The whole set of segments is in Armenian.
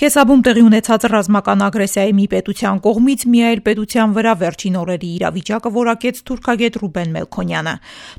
Քեսաբում տեղի ունեցած ռազմական ագրեսիայի մի պետության կողմից մի այլ պետության վրա վերջին օրերի իրավիճակը որակեց թուրքագետ Ռուբեն Մելքոնյանը։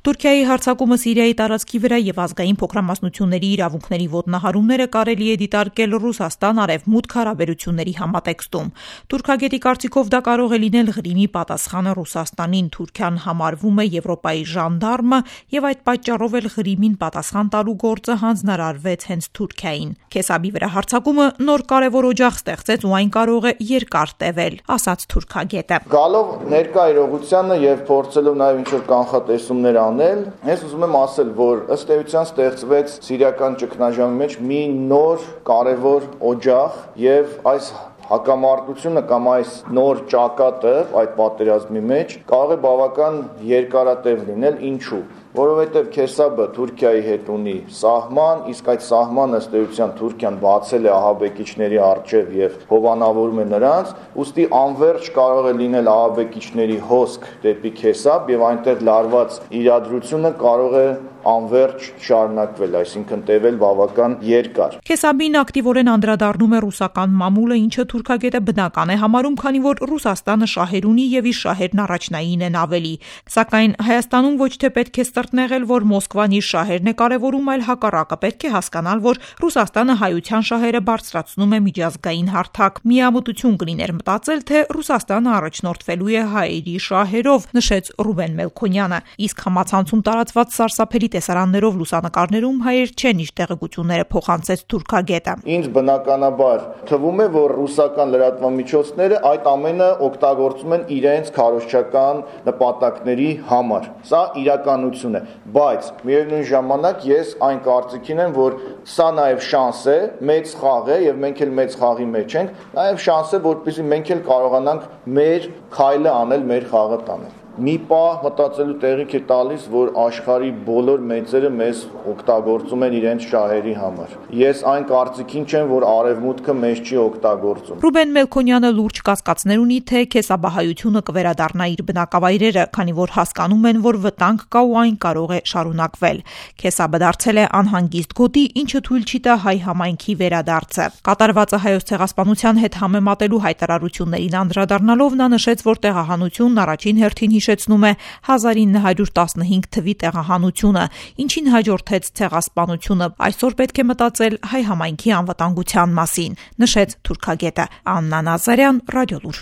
Թուրքիայի հարձակումը Սիրիայի տարածքի վրա եւ ազգային փոքրամասնությունների իրավունքների ոտնահարումները կարելի է դիտարկել Ռուսաստան-Արևմուտք հարաբերությունների համատեքստում։ Թուրքագետի կարծիքով դա կարող է լինել Ղրիմի պատասխանը Ռուսաստանին։ Թուրքիան համարվում է Եվրոպայի ժանդարմը եւ այդ պատճառով էլ Ղրիմին պատասխան տալու գործը հանձնարարվեց հենց Թուրքիային։ Քեսաբի վրա հարձակումը նոր կարևոր օջախ ստեղծեց ու այն կարող է երկար տևել, ասաց թուրքագետը։ Գալով ներկա իրողությանը եւ փորձելով նաեւ ինչ-որ կանխատեսումներ անել, ես ուզում եմ ասել, որ ըստ էության ստեղծվեց սիրիական ճգնաժամի մեջ մի նոր կարևոր օջախ եւ այս հակամարտությունը կամ այս նոր ճակատը այդ պատերազմի մեջ կարող է բավական երկարատև լինել, ինչու՞։ Որովհետև Քեսաբը Թուրքիայի հետ ունի սահման, իսկ այդ սահմանը ըստ էության Թուրքիան բացել է ահաբեկիչների առջև եւ հովանավորում է նրանց, ուստի անverջ կարող է լինել ահաբեկիչների հոսք դեպի Քեսաբ եւ այնտեղ լարված իրադրությունը կարող է անverջ շարունակվել, այսինքն տևել բավական երկար։ Քեսաբին ակտիվորեն անդրադառնում է ռուսական մամուլը, ինչը թուրքագետը բնական է համարում, քանի որ Ռուսաստանը շահեր ունի եւ իր շահերն առաջնային են ավելի։ Սակայն Հայաստանում ոչ թե պետք է ստրտնեղել, որ Մոսկվան իր շահերն է կարևորում, այլ հակառակը պետք է հասկանալ, որ Ռուսաստանը հայության շահերը բարձրացնում է միջազգային հարթակ։ Միամտություն կլիներ մտածել, թե Ռուսաստանը առաջնորդվելու է հայերի շահերով, նշեց Ռուբեն Մելքոնյանը։ Իսկ համացանցում տարածված սարսափելի տեսարաններով լուսանկարներում հայեր չեն իր տեղեկությունները փոխանցեց թուրքագետը։ Ինձ բնականաբար թվում է, որ ռուսական լրատվամիջոցները այդ ամենը օգտագործում են իրենց քարոզչական նպատակների համար։ Սա իրականություն է, բայց միևնույն ժամանակ ես այն կարծիքին եմ, որ սա նաև շանս է, մեծ խաղ է եւ մենք էլ մեծ խաղի մեջ ենք, նաև շանս է, որպեսզի մենք էլ կարողանանք մեր քայլը անել, մեր խաղը տանել։ Մի պահ մտածելու տեղիք է տալիս, որ աշխարհի բոլոր մեծերը մեզ օգտագործում են իրենց շահերի համար։ Ես այն կարծիքին չեմ, որ արևմուտքը մեզ չի օգտագործում։ Ռուբեն Մելքոնյանը լուրջ կասկածներ ունի, թե քեսաբահայությունը կվերադառնա իր բնակավայրերը, քանի որ հասկանում են, որ վտանգ կա ու այն կարող է շարունակվել։ Քեսաբը դարձել է անհանգիստ գոտի, ինչը թույլ չի տա հայ համայնքի վերադարձը։ Կատարվածը Հայոց ցեղասպանության հետ համեմատելու հայտարարություններին անդրադառնալով նա նշեց, որ տեղահանությունն առաջին հերթին հիշեցնում է 1915 թվի տեղահանությունը, ինչին հաջորդեց ցեղասպանությունը։ Այսօր պետք է մտածել հայ համայնքի անվտանգության մասին, նշեց թուրքագետը։ Աննա Նազարյան, Ռադիոլուր։